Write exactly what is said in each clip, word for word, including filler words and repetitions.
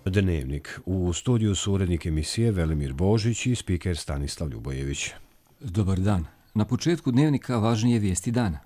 Dnevnik. U studiju su urednik emisije Velimir Božić i spiker Stanislav Ljubojević. Dobar dan. Na početku Dnevnika važnije vijesti dana.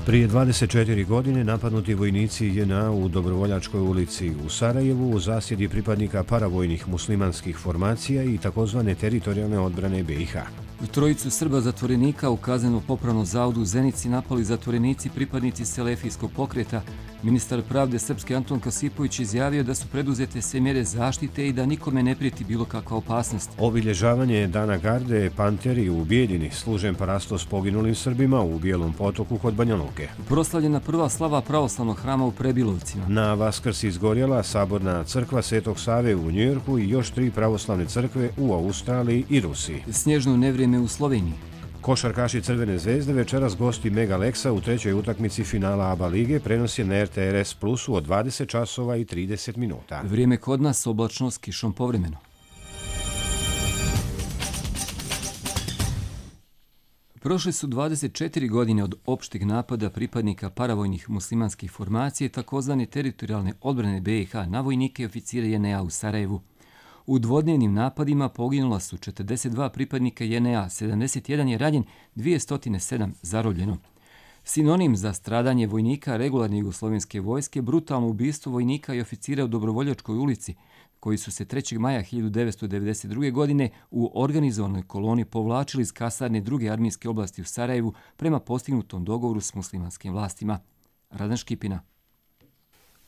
Prije dvadeset četiri godine napadnuti vojnici J N A u Dobrovoljačkoj ulici u Sarajevu u zasjedi pripadnika paravojnih muslimanskih formacija i takozvane teritorijalne odbrane B i H. Trojicu Srba zatvorenika u kazneno-popravnom zavodu u Zenici napali zatvorenici pripadnici Selefijskog pokreta. Ministar pravde Srpske Anton Kosipović izjavio da su preduzete sve mjere zaštite i da nikome ne prijeti bilo kakva opasnost. Obilježavanje Dana Garde Panteri u Bijeljini, služen parastos poginulim Srbima u Bijelom Potoku kod Banja Luke. Proslavljena prva slava pravoslavnog hrama u Prebilovcima. Na Vaskrs izgorjela Saborna crkva Svetog Save u Njujorku i još tri pravoslavne crkve u Australiji i Rusiji. Snježno nevrijeme u Sloveniji. Košarkaši Crvene zvezde večeras gosti Mega Lexa u trećoj utakmici finala A B A lige prenosi na R T R S Plusu od dvadeset časova i trideset minuta. Vrijeme kod nas, oblačno s kišom povremeno. Prošle su dvadeset četiri godine od opšteg napada pripadnika paravojnih muslimanskih formacija takozvane teritorijalne odbrane B i H na vojnike i oficire J N A u Sarajevu. U dvodnevnim napadima poginula su četrdeset dva pripadnika J N A, sedamdeset jedan je ranjen, dvjesto sedam zarobljeno. Sinonim za stradanje vojnika regularne jugoslovenske vojske, brutalno ubistvo vojnika i oficira u Dobrovoljačkoj ulici, koji su se trećeg maja hiljadu devetsto devedeset druge. godine u organizovanoj koloni povlačili iz kasarne druge armijske oblasti u Sarajevu prema postignutom dogovoru s muslimanskim vlastima. Radan Škipina.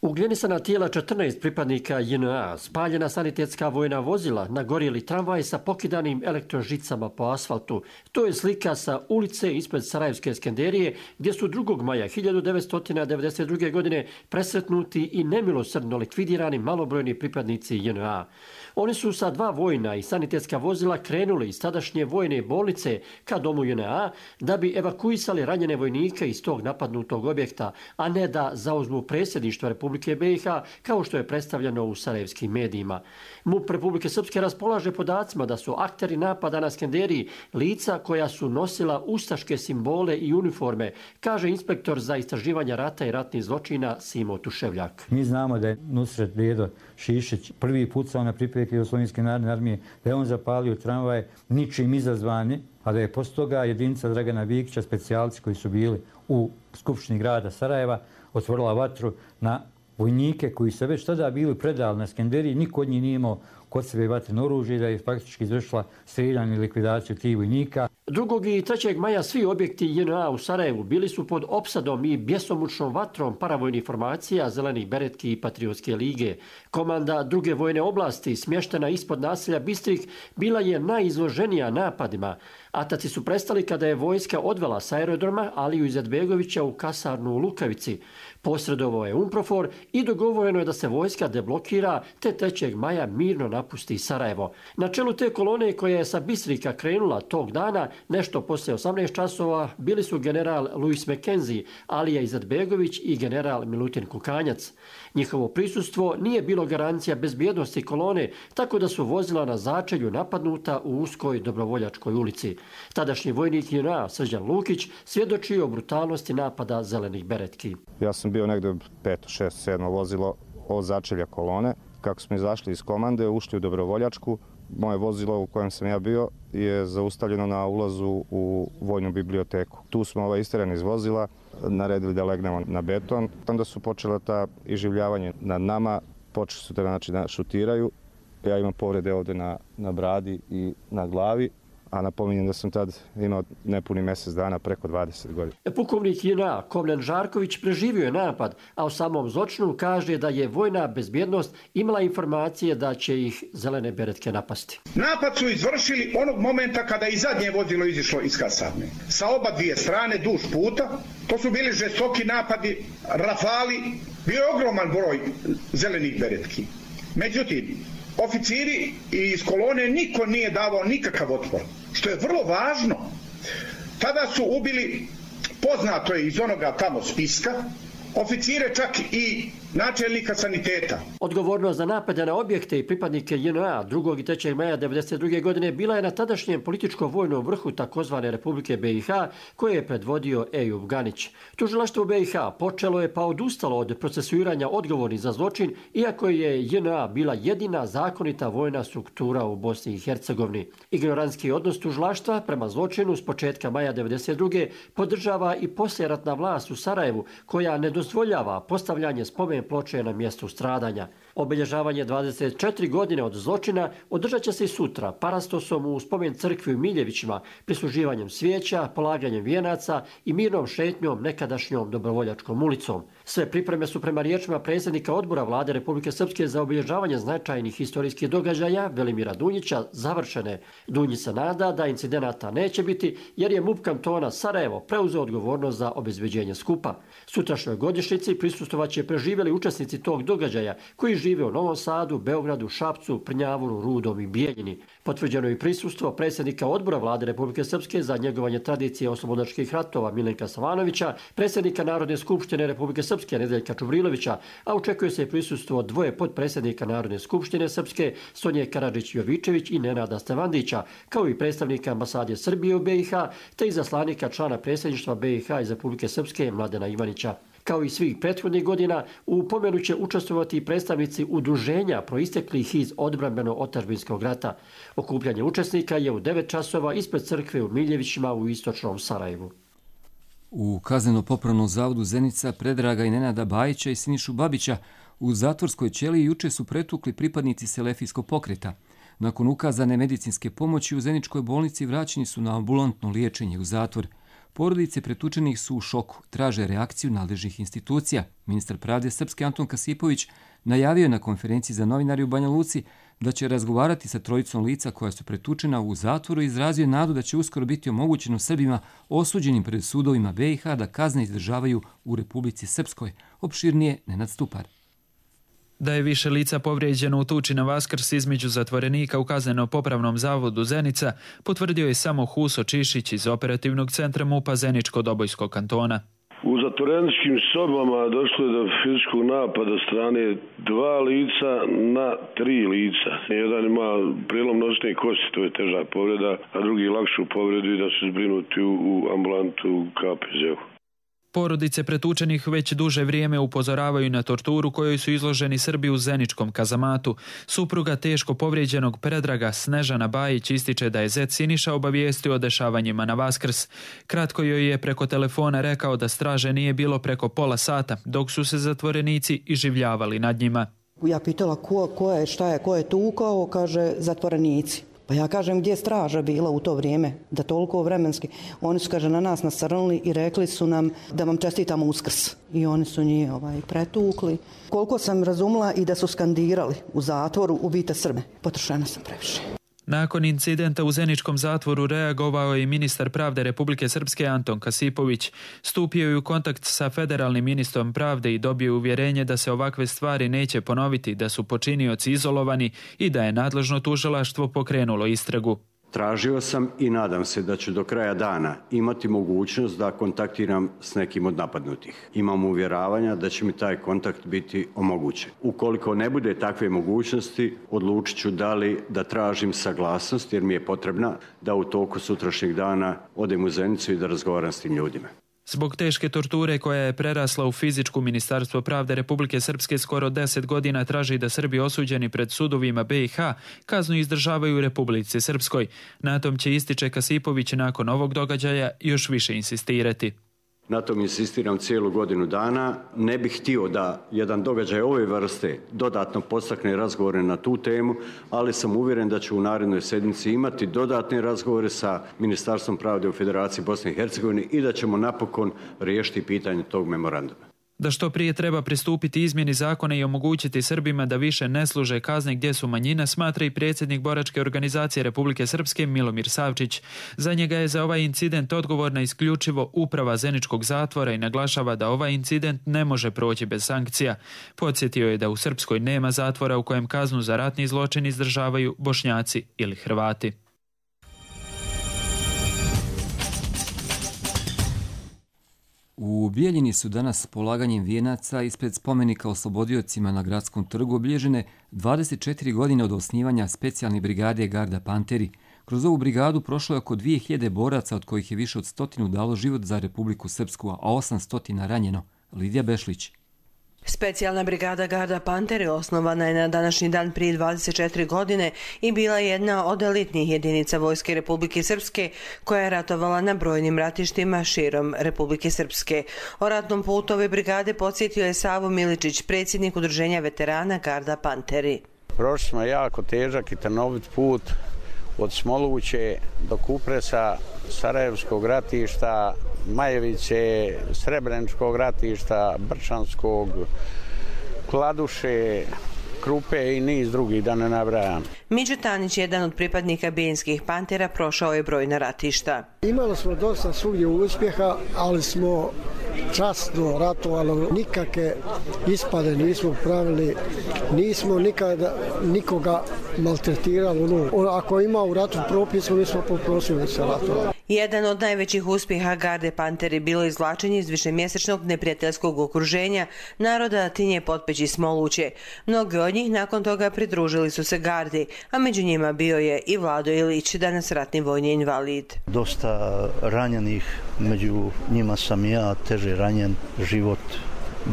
Ugljenisana tijela četrnaest pripadnika J N A, spaljena sanitetska vojna vozila, nagorjeli tramvaj sa pokidanim elektrožicama po asfaltu. To je slika sa ulice ispred Sarajevske Skenderije, gdje su drugog maja hiljadu devetsto devedeset druge. godine presretnuti i nemilosrdno likvidirani malobrojni pripadnici J N A. Oni su sa dva vojna i sanitetska vozila krenuli iz tadašnje vojne bolnice ka domu J N A da bi evakuisali ranjene vojnike iz tog napadnutog objekta, a ne da zauzmu predsjedništvo Republike B i H kao što je predstavljeno u sarajevskim medijima. MUP Republike Srpske raspolaže podacima da su akteri napada na Skenderiji lica koja su nosila ustaške simbole i uniforme, kaže inspektor za istraživanje rata i ratnih zločina Simo Tuševljak. Mi znamo da je Nusret Bredo Šišić prvi pucao na pripadnike Jugoslovenske narodne armije, da je on zapalio tramvaj ničim izazvani, a da je poslije toga jedinica Dragana Vikića, specijalci koji su bili u Skupštini grada Sarajeva, otvorila vatru na vojnike koji su već tada bili predali na Skenderiji, niko od njih nije imao kod sebe vatreno oružje, da je faktički izvršila streljanje i likvidaciju tih vojnika. Drugog i trećeg maja svi objekti J N A u Sarajevu bili su pod opsadom i bjesomučnom vatrom paravojnih formacija Zelenih beretki i Patriotske lige. Komanda druge vojne oblasti, smještena ispod naselja Bistrih, bila je najizloženija napadima. Ataci su prestali kada je vojska odvela s aerodroma Aliju Izetbegovića u kasarnu u Lukavici. Posredovao je UNPROFOR i dogovoreno je da se vojska deblokira te trećeg maja mirno napusti Sarajevo. Na čelu te kolone koja je sa Bistrika krenula tog dana, nešto poslije osamnaest časova, bili su general Louis McKenzie, Alija Izetbegović i general Milutin Kukanjac. Njihovo prisustvo nije bilo garancija bezbjednosti kolone, tako da su vozila na začelju napadnuta u uskoj Dobrovoljačkoj ulici. Tadašnji vojnik J N A Srđan Lukić svjedočio o brutalnosti napada Zelenih beretki. Ja sam bio negdje peto, šesto, sedmo vozilo od začelja kolone. Kako smo izašli iz komande, ušli u Dobrovoljačku, moje vozilo u kojem sam ja bio je zaustavljeno na ulazu u vojnu biblioteku. Tu smo ovaj isterani iz vozila, naredili da legnemo na beton. Onda su počela ta iživljavanje nad nama, počeli su da, znači, da šutiraju. Ja imam povrede ovdje na, na bradi i na glavi, a napominjem da sam tad imao nepuni mjesec dana, preko dvadeset godina. Pukovnik J N A Komljan Žarković preživio je napad, a o samom zločinu kaže da je vojna bezbjednost imala informacije da će ih Zelene beretke napasti. Napad su izvršili onog momenta kada i zadnje vozilo izišlo iz kasarne. Sa oba dvije strane, duž puta, to su bili žestoki napadi, rafali, bio je ogroman broj Zelenih beretki. Međutim, oficiri iz kolone niko nije davao nikakav otpor, što je vrlo važno. Tada su ubili, poznato je iz onoga tamo spiska, oficire čak i načelnika saniteta. Odgovornost za napade na objekte i pripadnike J N A drugog i trećeg maja devedeset druge. godine bila je na tadašnjem političko-vojnom vrhu takozvane Republike B i H koje je predvodio Ejub Ganić. Tužilaštvo u B i H počelo je pa odustalo od procesuiranja odgovornih za zločin, iako je J N A bila jedina zakonita vojna struktura u Bosni i Hercegovini. Ignorantski odnos tužilaštva prema zločinu s početka maja devedeset druge. podržava i poslijeratna vlast u Sarajevu koja ne dozvoljava postavljanje spomen ploče na mjestu stradanja. Obilježavanje dvadeset četiri godine od zločina održat će se i sutra parastosom u spomen crkvi u Miljevićima, prisluživanjem svijeća, polaganjem vijenaca i mirnom šetnjom nekadašnjom Dobrovoljačkom ulicom. Sve pripreme su prema riječima predsjednika odbora Vlade Republike Srpske za obilježavanje značajnih historijskih događaja Velimira Dunjića završene. Dunjić se nada da incidenata neće biti jer je MUP kantona Sarajevo preuzeo odgovornost za obezbeđenje skupa. Sutrašnjoj godišnjici prisustvovaće preživjeli učesnici tog događaja koji žive u Novom Sadu, Beogradu, Šapcu, Prnjavuru, Rudom i Bijeljini. Potvrđeno je prisustvo predsjednika odbora Vlade Republike Srpske za njegovanje tradicije oslobodnačkih ratova Milenka Savanovića, predsjednika Narodne skupštine Republike Srpske Nedeljka Čubrilovića, a očekuje se i prisustvo dvoje podpredsjednika Narodne skupštine Srpske Sonje Karadžić-Jovičević i Nenada Stevandića, kao i predstavnika ambasade Srbije u B i H, te izaslanika člana predsjedništva B i H iz Republike Srpske Mladena Ivanića. Kao i svih prethodnih godina, u pomenu će učestvovati i predstavnici udruženja proisteklih iz odbrambeno-otadžbinskog rata. Okupljanje učesnika je u devet časova ispred crkve u Miljevićima u istočnom Sarajevu. U Kazneno-popravnom zavodu Zenica Predraga i Nenada Bajića i Sinišu Babića u zatvorskoj ćeliji juče su pretukli pripadnici Selefijskog pokreta. Nakon ukazane medicinske pomoći u Zeničkoj bolnici vraćeni su na ambulantno liječenje u zatvor. Porodice pretučenih su u šoku, traže reakciju nadležnih institucija. Ministar pravde Srpske Anton Kasipović najavio je na konferenciji za novinari u Banja Luci da će razgovarati sa trojicom lica koja su pretučena u zatvoru i izrazio nadu da će uskoro biti omogućeno Srbima osuđenim pred sudovima B i H da kazne izdržavaju u Republici Srpskoj. Opširnije Nenad Stupar. Da je više lica povrijeđeno u tuči na Vaskrs između zatvorenika u Kazneno-popravnom zavodu Zenica, potvrdio je samo Huso Čišić iz operativnog centra MUP-a Zeničko-Dobojskog kantona. U zatvoreničkim sobama došlo je do fizičkog napada strane dva lica na tri lica. Jedan ima prilom noćne kosti, to je teža povreda, a drugi lakšu povredu i da su zbrinuti u ambulantu u K P Z-u. Porodice pretučenih već duže vrijeme upozoravaju na torturu kojoj su izloženi Srbi u Zeničkom kazamatu. Supruga teško povrijeđenog Predraga Snežana Bajić ističe da je zet Siniša obavijestio o dešavanjima na Vaskrs. Kratko joj je preko telefona rekao da straže nije bilo preko pola sata, dok su se zatvorenici iživljavali nad njima. Ja pitala ko, ko je, šta je, ko je tukao, kaže zatvorenici. Pa ja kažem gdje je straža bila u to vrijeme, da toliko vremenski. Oni su, kaže, na nas nasrnuli i rekli su nam da vam čestitamo Uskrs. I oni su njih ovaj, pretukli. Koliko sam razumela i da su skandirali u zatvoru ubijte Srbe. Potrošena sam previše. Nakon incidenta u Zeničkom zatvoru reagovao je i ministar pravde Republike Srpske Anton Kasipović. Stupio je u kontakt sa federalnim ministrom pravde i dobio uvjerenje da se ovakve stvari neće ponoviti, da su počinioci izolovani i da je nadležno tužilaštvo pokrenulo istragu. Tražio sam i nadam se da ću do kraja dana imati mogućnost da kontaktiram s nekim od napadnutih. Imam uvjeravanja da će mi taj kontakt biti omogućen. Ukoliko ne bude takve mogućnosti, odlučit ću da li da tražim saglasnost jer mi je potrebna da u toku sutrašnjeg dana odem u Zenicu i da razgovaram s tim ljudima. Zbog teške torture koja je prerasla u fizičku, Ministarstvo pravde Republike Srpske skoro deset godina traži da Srbi osuđeni pred sudovima B i H kaznu izdržavaju u Republici Srpskoj. Na tom će, ističe Kasipović, nakon ovog događaja još više insistirati. Na tom insistiram cijelu godinu dana. Ne bih htio da jedan događaj ove vrste dodatno podstakne razgovore na tu temu, ali sam uvjeren da ću u narednoj sedmici imati dodatne razgovore sa Ministarstvom pravde u Federaciji Bosne i Hercegovine i da ćemo napokon riješiti pitanje tog memoranduma. Da što prije treba pristupiti izmjeni zakona i omogućiti Srbima da više ne služe kazne gdje su manjina, smatra i predsjednik boračke organizacije Republike Srpske Milomir Savčić. Za njega je za ovaj incident odgovorna isključivo uprava Zeničkog zatvora i naglašava da ovaj incident ne može proći bez sankcija. Podsjetio je da u Srpskoj nema zatvora u kojem kaznu za ratni zločin izdržavaju Bošnjaci ili Hrvati. U Bijeljini su danas s polaganjem vijenaca ispred spomenika oslobodiocima na Gradskom trgu obilježene dvadeset četiri godine od osnivanja specijalne brigade Garda Panteri. Kroz ovu brigadu prošlo je oko dvije hiljade boraca, od kojih je više od stotinu dalo život za Republiku Srpsku, a osamsto ranjeno. Lidija Bešlić. Specijalna brigada Garda Panteri osnovana je na današnji dan prije dvadeset četiri godine i bila je jedna od elitnih jedinica Vojske Republike Srpske koja je ratovala na brojnim ratištima širom Republike Srpske. O ratnom putu ove brigade podsjetio je Savo Miličić, predsjednik udruženja veterana Garda Panteri. Prošli smo jako težak i trnovit put od Smoluće do Kupresa, Sarajevskog ratišta, Majevice, Srebreničkog ratišta, Brčanskog, Kladuše, Krupe i niz drugih, da ne nabrajam. Miđo Tanić, jedan od pripadnika bijeljinskih Pantera, prošao je brojna ratišta. Imali smo dosta svugdje uspjeha, ali smo časno ratovali, nikakve ispade nismo pravili, nismo nikada nikoga maltretirali. Ako ima u ratu propis, mi smo poprosili se ratovali. Jedan od najvećih uspjeha Garde Panteri bilo izvlačenje iz višemjesečnog neprijateljskog okruženja naroda Tinje, Potpeći, Smoluće. Mnogi od njih nakon toga pridružili su se Gardi, a među njima bio je i Vlado Ilić, danas ratni vojni invalid. Dosta ranjenih, među njima sam ja, teže ranjen. Život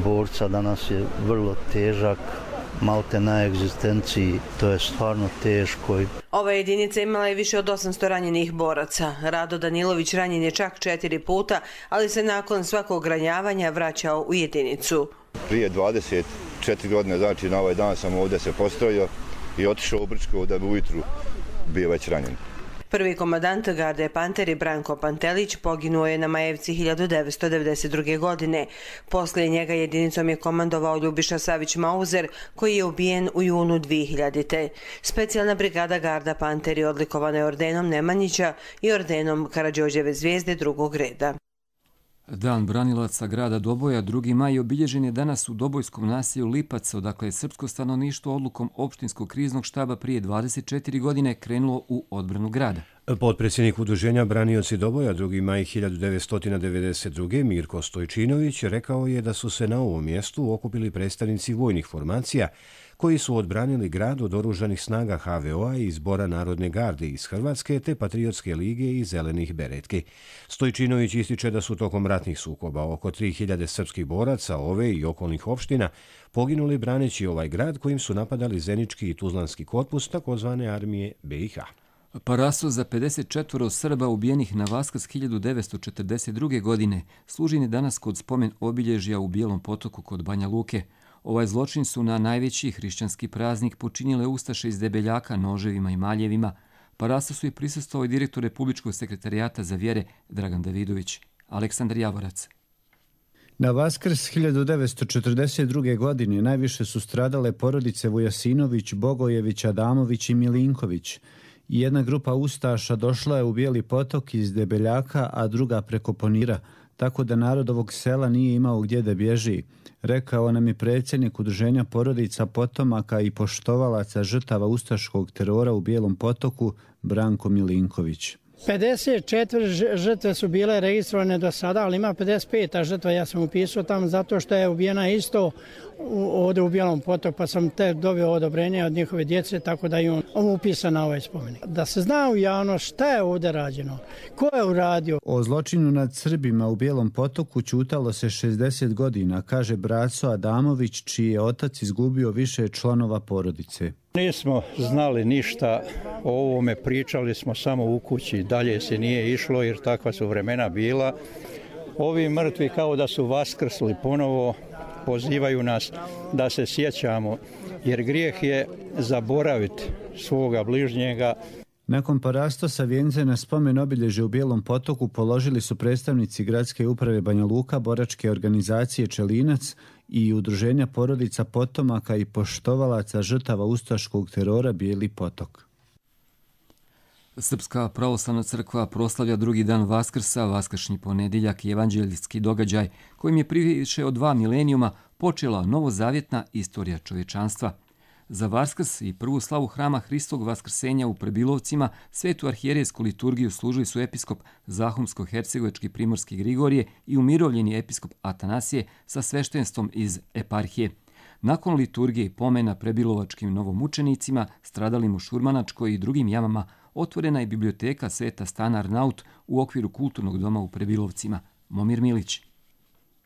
borca danas je vrlo težak, malte na egzistenciji, to je stvarno teško. Ova jedinica imala je više od osamsto ranjenih boraca. Rado Danilović ranjen je čak četiri puta, ali se nakon svakog ranjavanja vraćao u jedinicu. Prije dvadeset četiri godine, znači na ovaj dan sam ovdje se postrojio i otišao u Brčko da bi ujutru bio već ranjen. Prvi komandant Garde Panteri Branko Pantelić poginuo je na Majevci hiljadu devetsto devedeset druge. godine. Poslije njega jedinicom je komandovao Ljubiša Savić Mauzer, koji je ubijen u junu dvije hiljadite. Specijalna brigada Garda Panteri odlikovana je ordenom Nemanjića i ordenom Karađorđeve zvijezde drugog reda. Dan branilaca grada Doboja, drugi maj, obilježen je danas u dobojskom naselju Lipac, odakle je srpsko stanovništvo odlukom opštinskog kriznog štaba prije dvadeset četiri godine krenulo u odbranu grada. Potpredsjednik udruženja Branioci Doboja drugi maj hiljadu devetsto devedeset druge. Mirko Stojčinović rekao je da su se na ovom mjestu okupili predstavnici vojnih formacija koji su odbranili grad od oružanih snaga ha ve o a i Zbora Narodne garde iz Hrvatske te Patriotske lige i Zelenih beretki. Stojčinović ističe da su tokom ratnih sukoba oko tri hiljade srpskih boraca ove i okolnih opština poginuli braneći ovaj grad kojim su napadali Zenički i Tuzlanski korpus takozvane armije be i ha. Paraso za pedeset četiri Srba ubijenih na Vaskrs hiljadu devetsto četrdeset druge. godine služi danas kod spomen obilježja u Bijelom Potoku kod Banja Luke. Ovaj zločin su na najveći hrišćanski praznik počinile ustaše iz Debeljaka noževima i maljevima. Paraso su i prisustvovao i direktor Republičkog sekretarijata za vjere Dragan Davidović. Aleksandar Javorac. Na Vaskrs hiljadu devetsto četrdeset druge. godine najviše su stradale porodice Vujasinović, Bogojević, Adamović i Milinković. Jedna grupa ustaša došla je u Bijeli Potok iz Debeljaka, a druga preko Ponira, tako da narod ovog sela nije imao gdje da bježi, rekao nam je predsjednik udruženja porodica potomaka i poštovalaca žrtava ustaškog terora u Bijelom Potoku Branko Milinković. pedeset četiri žrtve su bile registrovane do sada, ali ima pedeset pet žrtva. Ja sam upisao tamo zato što je ubijena isto ovdje u Bijelom Potoku, pa sam te dobio odobrenje od njihove djece, tako da je on upisan na ovaj spomenik. Da se zna u javnost šta je ovdje rađeno, ko je uradio. O zločinu nad Srbima u Bijelom Potoku ćutalo se šezdeset godina, kaže braco Adamović, čiji je otac izgubio više članova porodice. Nismo znali ništa o ovome, pričali smo samo u kući, dalje se nije išlo jer takva su vremena bila. Ovi mrtvi kao da su vaskrsli ponovo, pozivaju nas da se sjećamo, jer grijeh je zaboraviti svoga bližnjega. Nakon parastosa vijence na spomen obilježje u Bijelom Potoku položili su predstavnici Gradske uprave Banja Luka, boračke organizacije Čelinac i udruženja porodica potomaka i poštovalaca žrtava ustaškog terora Bijeli Potok. Srpska pravoslavna crkva proslavlja drugi dan Vaskrsa, vaskršnji ponedjeljak i evanđeljski događaj kojim je prije više od dva milenijuma počela novozavjetna istorija čovječanstva. Za Vaskrs i prvu slavu hrama Hristovog vaskrsenja u Prebilovcima svetu arhijerejsku liturgiju služili su episkop Zahumsko-hercegovački primorski Grigorije i umirovljeni episkop Atanasije sa sveštenstvom iz eparhije. Nakon liturgije i pomena prebilovačkim novomučenicima, stradalim u Šurmanačkoj i drugim jamama, otvorena je biblioteka Sveta Stana Arnaut u okviru kulturnog doma u Prebilovcima. Momir Milić.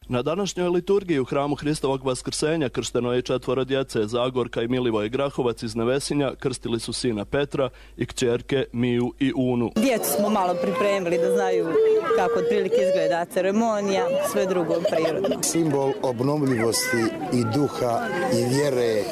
Na današnjoj liturgiji u hramu Hristovog vaskrsenja kršteno je četvoro djece, Zagorka i Milivoj Grahovac iz Nevesinja, krstili su sina Petra i kćerke Miju i Unu. Djecu smo malo pripremili da znaju kako otprilike izgleda ceremonija, sve drugo prirodno. Simbol obnovljivosti i duha i vjere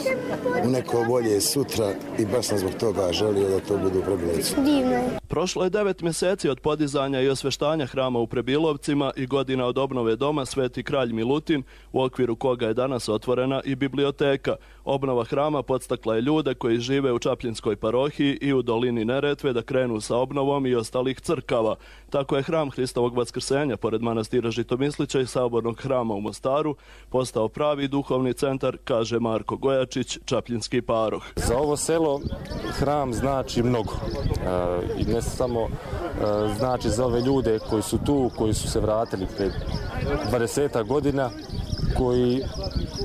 u neko bolje sutra i baš sam zbog toga želio da to budu u Prebilovcu. Divno. Prošlo je devet mjeseci od podizanja i osveštanja hrama u Prebilovcima i godina od obnove doma Sveti kralj Milutin, u okviru koga je danas otvorena i biblioteka. Obnova hrama podstakla je ljude koji žive u Čapljinskoj parohiji i u dolini Neretve da krenu sa obnovom i ostalih crkava. Tako je hram Hristovog vaskrsenja, pored manastira Žitomislića i sabornog hrama u Mostaru, postao pravi duhovni centar, kaže Marko Gojačić, čapljinski paroh. Za ovo selo hram znači mnogo. E, i ne samo e, znači za ove ljude koji su tu, koji su se vratili pred dvadeset godina, koji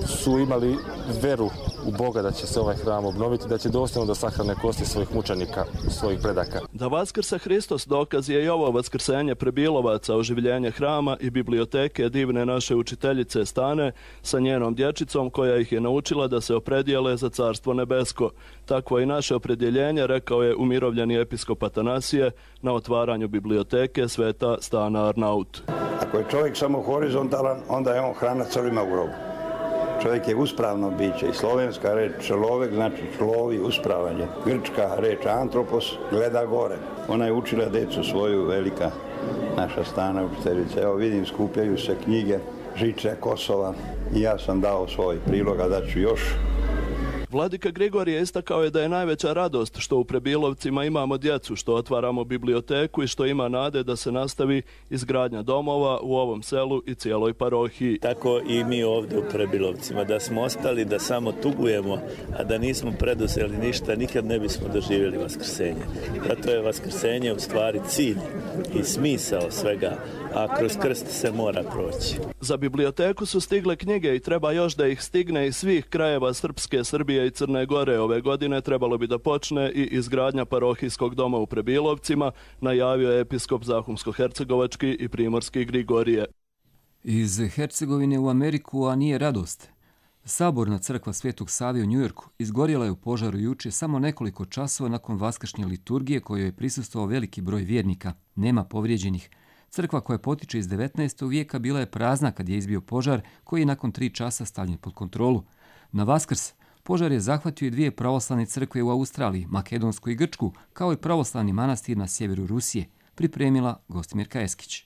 su imali veru u Boga da će se ovaj hram obnoviti, da će dostojno da sahrane kosti svojih mučenika, svojih predaka. Da vaskrsa Hristos dokaz je i ovo vaskrsenje Prebilovaca, oživljenje hrama i biblioteke divne naše učiteljice Stane sa njenom dječicom koja ih je naučila da se opredijele za Carstvo nebesko. Takvo i naše opredjeljenje, rekao je umirovljeni episkop Atanasije na otvaranju biblioteke Sveta Stana Arnaut. Ako je čovjek samo horizontalan, onda je on hrana crvima u grobu. Čovjek je uspravno biće i slovenska reč človek znači človi, uspravanje. Grčka reč antropos gleda gore. Ona je učila decu svoju, velika naša Stana učiteljica. Evo vidim, skupljaju se knjige, Žiče, Kosova i ja sam dao svoj prilog, a daću još. Vladika Grigorije istakao je da je najveća radost što u Prebilovcima imamo djecu, što otvaramo biblioteku i što ima nade da se nastavi izgradnja domova u ovom selu i cijeloj parohiji. Tako i mi ovdje u Prebilovcima, da smo ostali, da samo tugujemo, a da nismo preduzeli ništa, nikad ne bismo doživjeli vaskrsenje. Zato je vaskrsenje u stvari cilj i smisao svega, a kroz krst se mora proći. Za biblioteku su stigle knjige i treba još da ih stigne iz svih krajeva Srpske, Srbije i Crne Gore. Ove godine trebalo bi da počne i izgradnja parohijskog doma u Prebilovcima, najavio je episkop Zahumsko-hercegovački i primorski Grigorije. Iz Hercegovine u Ameriku, a nije radost. Saborna crkva Svetog Save u Njujorku izgorjela je u požaru juče samo nekoliko časova nakon vaskršnje liturgije kojoj je prisustvovao veliki broj vjernika. Nema povrijeđenih. Crkva koja potiče iz devetnaestog vijeka bila je prazna kad je izbio požar koji je nakon tri časa stavljen pod kontrolu. Na Vaskrs požar je zahvatio i dvije pravoslavne crkve u Australiji, Makedonsku i Grčku, kao i pravoslavni manastir na sjeveru Rusije, pripremila Gostimirka Eskić.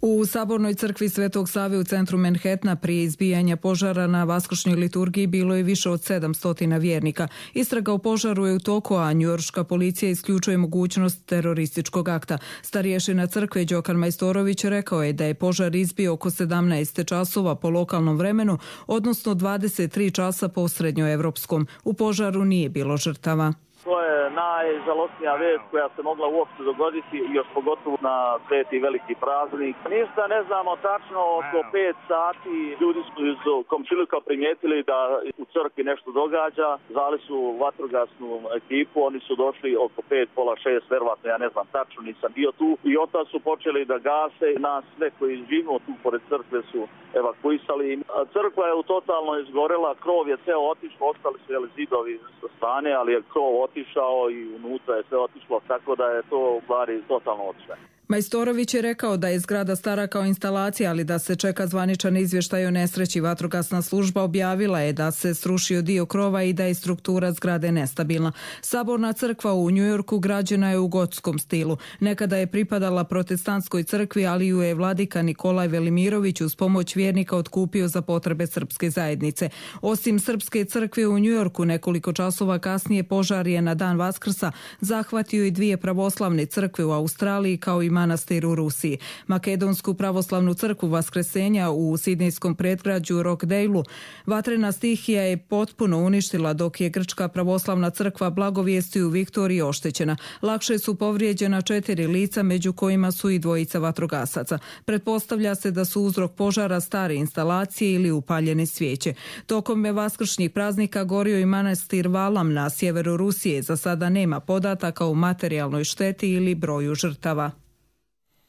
U Sabornoj crkvi Svetog Save u centru Manhattana prije izbijanja požara na vaskršnjoj liturgiji bilo je više od sedamsto vjernika. Istraga o požaru je u toku, a njujorška policija isključuje mogućnost terorističkog akta. Starješina crkve Đokan Majstorović rekao je da je požar izbio oko sedamnaest časova po lokalnom vremenu, odnosno dvadeset tri časa po srednjoevropskom. U požaru nije bilo žrtava. To je najžalostnija vest koja se mogla uopšte dogoditi, još pogotovo na sveti veliki praznik. Ništa ne znamo tačno, oko pet sati ljudi su iz komšiluka primijetili da u crkvi nešto događa, zvali su vatrogasnu ekipu, oni su došli oko pet, pola šest, verovatno, ja ne znam tačno, nisam bio tu, i otad su počeli da gase, nas sve koji živimo tu pored crkve su evakuisali. Crkva je totalno izgorela, krov je ceo otišao, ostali su jeli, zidovi sa strane, ali je krov otišao i unutra je sve otišlo, tako da je to u stvari totalno otišlo. Majstorović je rekao da je zgrada stara kao instalacija, ali da se čeka zvaničan izvještaj o nesreći. Vatrogasna služba objavila je da se srušio dio krova i da je struktura zgrade nestabilna. Saborna crkva u Njujorku građena je u gotskom stilu. Nekada je pripadala protestantskoj crkvi, ali ju je vladika Nikolaj Velimirović uz pomoć vjernika otkupio za potrebe srpske zajednice. Osim srpske crkve u Njujorku, nekoliko časova kasnije požar je na dan Vaskrsa zahvatio i dvije pravoslavne crkve u Australiji, kao i manastir u Rusiji. Makedonsku pravoslavnu crkvu Vaskresenja u sidnejskom predgrađu Rockdaleu vatrena stihija je potpuno uništila, dok je grčka pravoslavna crkva Blagovijesti u Viktoriji oštećena. Lakše su povrijeđena četiri lica, među kojima su i dvojica vatrogasaca. Pretpostavlja se da su uzrok požara stare instalacije ili upaljene svijeće. Tokom vaskršnjih praznika gorio i manastir Valam na sjeveru Rusije. Za sada nema podataka o materijalnoj šteti ili broju žrtava.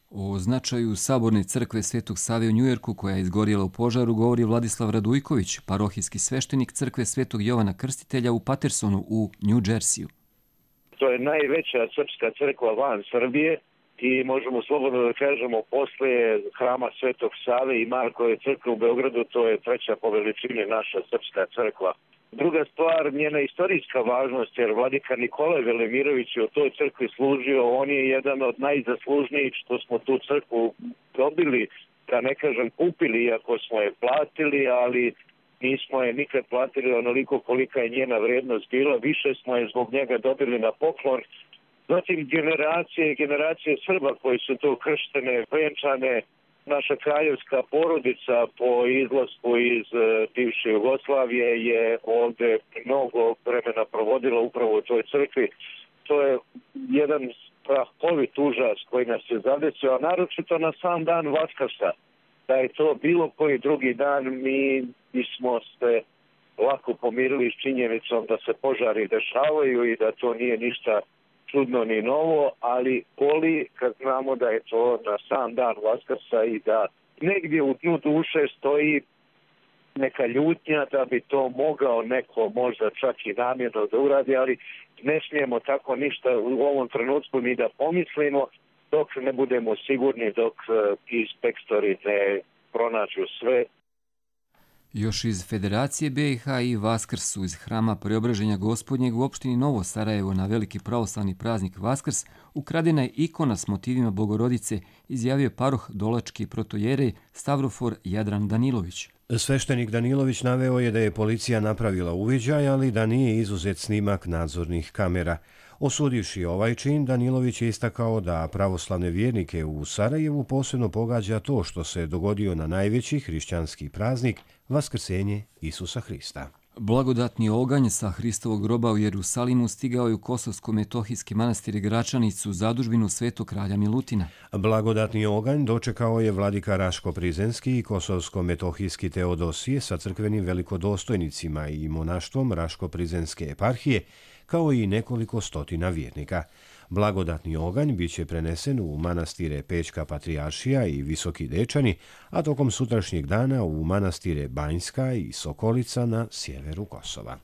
O značaju saborne crkve Svetog Save u Njujorku, koja je izgorjela u požaru, govori Vladislav Radujković, parohijski sveštenik crkve Svetog Jovana Krstitelja u Patersonu u New Jersiju. To je najveća srpska crkva van Srbije i možemo slobodno da kažemo poslije hrama Svetog Save i Markove crkve u Beogradu, to je treća po veličini naša srpska crkva. Druga stvar, njena istorijska važnost, jer vladika Nikolaj Velimirović je u toj crkvi služio, on je jedan od najzaslužnijih što smo tu crkvu dobili, da ne kažem kupili, iako smo je platili, ali nismo je nikad platili onoliko kolika je njena vrednost bila, više smo je zbog njega dobili na poklon. Zatim generacije i generacije Srba koji su tu krštene, venčane, naša kraljevska porodica po izlasku iz bivše Jugoslavije je ovdje mnogo vremena provodila upravo u toj crkvi. To je jedan strahovit užas koji nas je zadesio, a naročito na sam dan Vaskrsa. Da je to bilo koji drugi dan, mi bismo se lako pomirili s činjenicom da se požari dešavaju i da to nije ništa čudno ni novo, ali boli kad znamo da je to na sam dan Vaskrsa i da negdje u dnu duše stoji neka ljutnja da bi to mogao neko možda čak i namjerno da uradi, ali ne smijemo tako ništa u ovom trenutku ni da pomislimo dok ne budemo sigurni, dok inspektori ne pronađu sve. Još iz Federacije B i H i Vaskrsu iz hrama Preobraženja Gospodnjeg u opštini Novo Sarajevo na veliki pravoslavni praznik Vaskrs ukradena je ikona s motivima Bogorodice, izjavio paroh dolački protojerej Stavrofor Jadran Danilović. Sveštenik Danilović naveo je da je policija napravila uviđaj, ali da nije izuzet snimak nadzornih kamera. Osudivši ovaj čin, Danilović je istakao da pravoslavne vjernike u Sarajevu posebno pogađa to što se dogodio na najveći hrišćanski praznik, Vaskrsenje Isusa Hrista. Blagodatni oganj sa Hristovog groba u Jerusalimu stigao je u Kosovsko-metohijski manastir Gračanicu, zadužbinu Svetog kralja Milutina. Blagodatni oganj dočekao je vladika Raško-Prizenski i Kosovsko-metohijski Teodosije sa crkvenim velikodostojnicima i monaštvom Raško-Prizenske eparhije, kao i nekoliko stotina vjernika. Blagodatni oganj bit će prenesen u manastire Pečka Patrijaršija i Visoki Dečani, a tokom sutrašnjeg dana u manastire Banjska i Sokolica na sjeveru Kosova.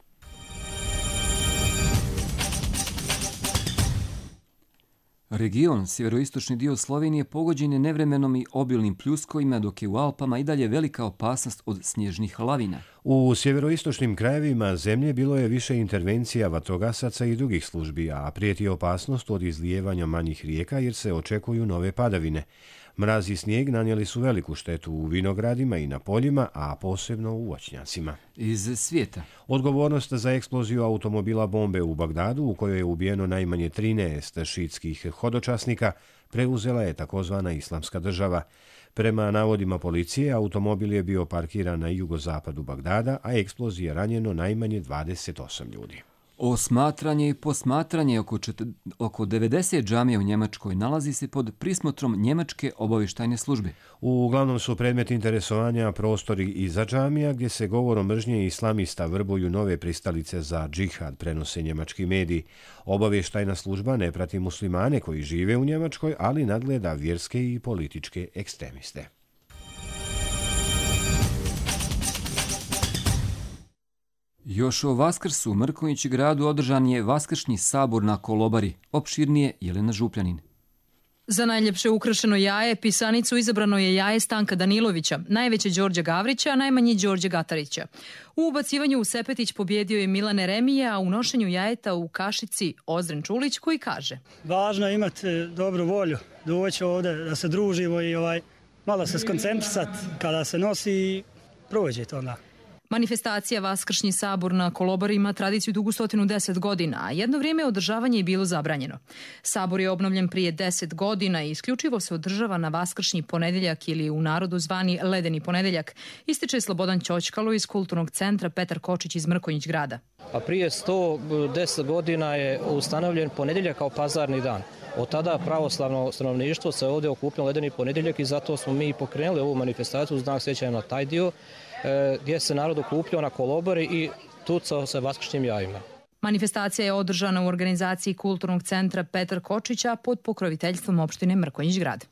Region, sjeveroistočni dio Slovenije, pogođen je nevremenom i obilnim pljuskovima, dok je u Alpama i dalje velika opasnost od snježnih lavina. U sjeveroistočnim krajevima zemlje bilo je više intervencija vatrogasaca i drugih službi, a prijeti opasnost od izlijevanja manjih rijeka jer se očekuju nove padavine. Mraz i snijeg nanijeli su veliku štetu u vinogradima i na poljima, a posebno u voćnjacima. Iz svijeta. Odgovornost za eksploziju automobila bombe u Bagdadu, u kojoj je ubijeno najmanje trinaest šiitskih hodočasnika, preuzela je takozvana Islamska država. Prema navodima policije, automobil je bio parkiran na jugozapadu Bagdada, a eksploziji je ranjeno najmanje dvadeset osam ljudi. Osmatranje i posmatranje oko, čet... oko devedeset džamija u Njemačkoj nalazi se pod prismotrom Njemačke obavještajne službe. Uglavnom su predmet interesovanja prostori iza džamija, gdje se govorom mržnje islamista vrbuju nove pristalice za džihad, prenose njemački mediji. Obavještajna služba ne prati muslimane koji žive u Njemačkoj, ali nadgleda vjerske i političke ekstremiste. Još o Vaskrsu u Mrkonjići gradu održan je Vaskršnji sabor na Kolobari, opširnije Jelena Župljanin. Za najljepše ukrašeno jaje pisanicu izabrano je jaje Stanka Danilovića, najveće Đorđa Gavrića, a najmanji Đorđe Gatarića. U ubacivanju u sepetić pobjedio je Milane Remije, a u nošenju jajeta u kašici Ozren Čulić koji kaže: Važno je imati dobru volju, doći ovdje da se družimo i ovaj, malo se skoncentrisati kada se nosi i prođe to onda. Manifestacija Vaskršnji sabor na Kolobari ima tradiciju dugu stotinu deset godina, a jedno vrijeme održavanje je bilo zabranjeno. Sabor je obnovljen prije deset godina i isključivo se održava na Vaskršnji ponedjeljak ili u narodu zvani Ledeni ponedjeljak, ističe Slobodan Ćoćkalo iz Kulturnog centra Petar Kočić iz Mrkonjić grada. A prije sto deset godina je ustanovljen ponedjeljak kao pazarni dan. Od tada pravoslavno stanovništvo se ovdje okupilo Ledeni ponedjeljak i zato smo mi pokrenuli ovu manifestaciju u znak sjećanja na taj dio, gdje se narod okupljao na Kolobari i tucao se vaskršnjim jajima. Manifestacija je održana u organizaciji Kulturnog centra Petar Kočića pod pokroviteljstvom opštine Mrkonjić grad.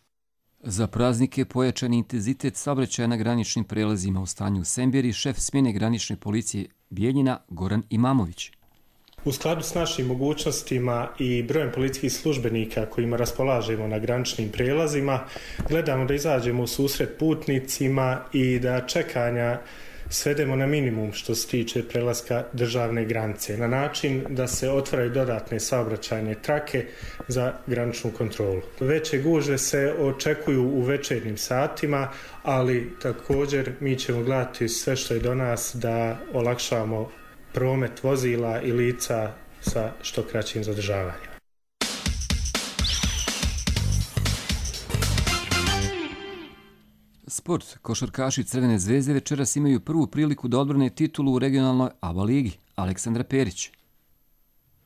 Za praznike pojačani intenzitet saobraćaja na graničnim prelazima u stanju u Semberi, šef smjene granične policije Bijeljina Goran Imamović. U skladu s našim mogućnostima i brojem policijskih službenika kojima raspolažemo na graničnim prelazima, gledamo da izađemo u susret putnicima i da čekanja svedemo na minimum što se tiče prelaska državne granice, na način da se otvaraju dodatne saobraćajne trake za graničnu kontrolu. Veće gužve se očekuju u večernjim satima, ali također mi ćemo gledati sve što je do nas da olakšamo promet vozila i lica sa što kraćim zadržavanjem. Sport. Košarkaši Crvene zvezde večeras imaju prvu priliku da odbrane titulu u regionalnoj A B A ligi. Aleksandra Perić.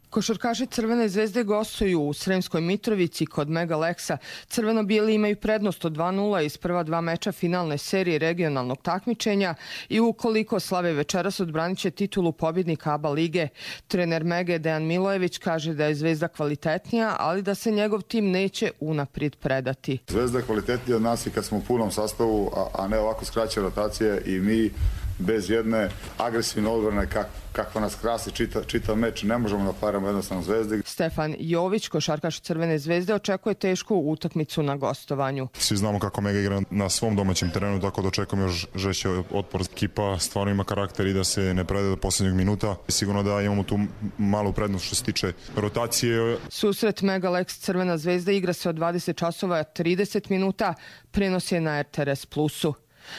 Košarkaši Crvene zvezde gostuju u Sremskoj Mitrovici kod Mega Leksa. Crveno-bijeli imaju prednost od dva nula iz prva dva meča finalne serije regionalnog takmičenja i ukoliko slave večeras odbranit će titulu pobjednika A B A lige. Trener Mege Dejan Milojević kaže da je Zvezda kvalitetnija, ali da se njegov tim neće unaprijed predati. Zvezda je kvalitetnija od nas i kad smo u punom sastavu, a ne ovako skraćene rotacije i mi bez jedne agresivne odbrane kak, kakva nas krasi čita, čitav meč, ne možemo da paramo jednostavno Zvezdi. Stefan Jović, košarkaš Crvene zvezde, očekuje tešku utakmicu na gostovanju. Svi znamo kako Mega igra na svom domaćem terenu, tako da očekujem još žešći otpor. Ekipa stvarno ima karakter i da se ne prede do posljednjeg minuta. Sigurno da imamo tu malu prednost što se tiče rotacije. Susret Mega Leks Crvena zvezda igra se od dvadeset časova trideset minuta, prenos je na R T R S Plusu.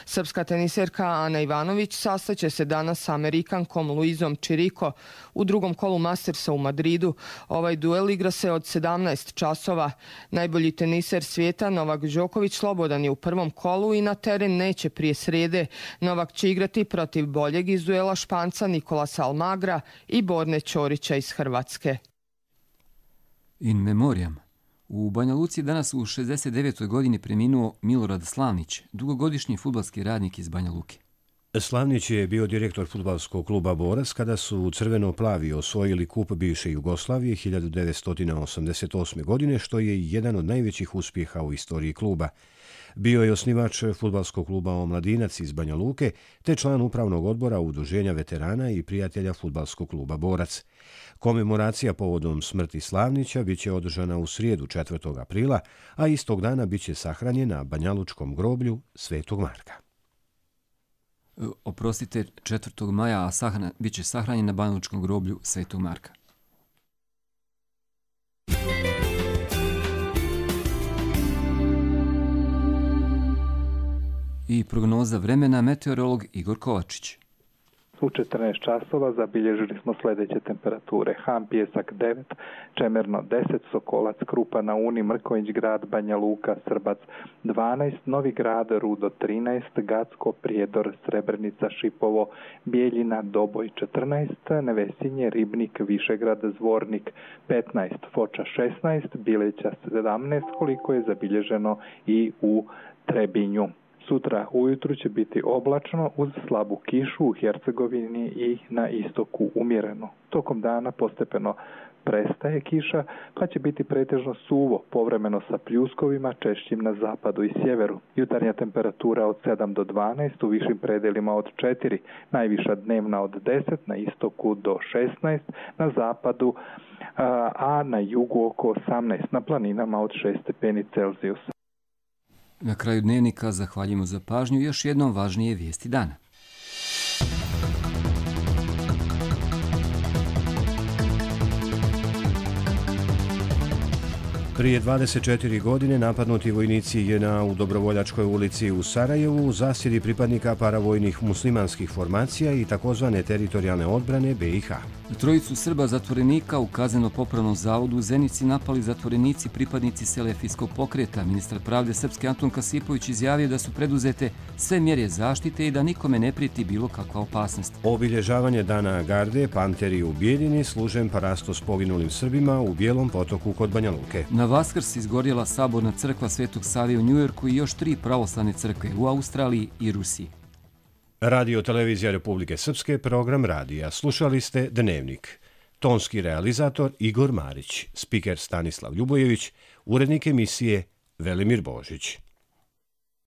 Srpska teniserka Ana Ivanović sastaće se danas sa Amerikankom Luizom Čiriko u drugom kolu Mastersa u Madridu. Ovaj duel igra se od sedamnaest časova. Najbolji teniser svijeta Novak Đoković slobodan je u prvom kolu i na teren neće prije srede. Novak će igrati protiv boljeg iz duela Španca Nikolasa Almagra i Borne Ćorića iz Hrvatske. In memoriam. U Banja Luci danas u šezdeset devetoj godini preminuo Milorad Slavnić, dugogodišnji fudbalski radnik iz Banja Luke. Slavnić je bio direktor fudbalskog kluba Borac kada su crveno-plavi osvojili kup bivše Jugoslavije hiljadu devetsto osamdeset osme. godine, što je jedan od najvećih uspjeha u istoriji kluba. Bio je osnivač fudbalskog kluba Omladinac iz Banja Luke, te član upravnog odbora Udruženja veterana i prijatelja fudbalskog kluba Borac. Komemoracija povodom smrti Slavnića biće održana u srijedu četvrtog aprila, a istog dana biće sahranjen na banjalučkom groblju Svetog Marka. Oprostite, četvrtog maja, a sahran, biće sahranjen na banjalučkom groblju Svetog Marka. I prognoza vremena, meteorolog Igor Kovačić. U četrnaest časova zabilježili smo sljedeće temperature. Ham, Pijesak devet, Čemerno deset, Sokolac, Krupa na Uni, Mrkonjić grad, Banja Luka, Srbac dvanaest, Novi grad, Rudo trinaest, Gacko, Prijedor, Srebrenica, Šipovo, Bijeljina, Doboj četrnaest, Nevesinje, Ribnik, Višegrad, Zvornik petnaest, Foča šesnaest, Bileća sedamnaest, koliko je zabilježeno i u Trebinju. Sutra ujutru će biti oblačno uz slabu kišu u Hercegovini i na istoku umjereno. Tokom dana postepeno prestaje kiša, pa će biti pretežno suvo, povremeno sa pljuskovima, češćim na zapadu i sjeveru. Jutarnja temperatura od sedam do dvanaest, u višim predelima od četiri, najviša dnevna od deset, na istoku do šesnaest, na zapadu, a na jugu oko osamnaest, na planinama od šest stepeni Celzijusa. Na kraju dnevnika zahvaljujemo za pažnju, još jednom važnije vijesti dana. Prije dvadeset četiri godine napadnuti vojnici J N A u Dobrovoljačkoj ulici u Sarajevu u zasjedi pripadnika paravojnih muslimanskih formacija i takozvane teritorijalne odbrane B i H. Trojicu Srba zatvorenika u kazneno-popravnom zavodu u Zenici napali zatvorenici pripadnici Selefijskog pokreta. Ministar pravde Srpske Antun Kasipović izjavio da su preduzete sve mjere zaštite i da nikome ne prijeti bilo kakva opasnost. Obilježavanje Dana Garde, Panteri u Bijeljini služen parastos poginulim Srbima u Bijelom potoku kod Banja Luke. Na Vaskrs izgorjela saborna crkva Svetog Save u Njujorku i još tri pravoslavne crkve u Australiji i Rusiji. Radio Televizija Republike Srpske, program radija. Slušali ste Dnevnik. Tonski realizator Igor Marić, spiker Stanislav Ljubojević, urednik emisije Velimir Božić.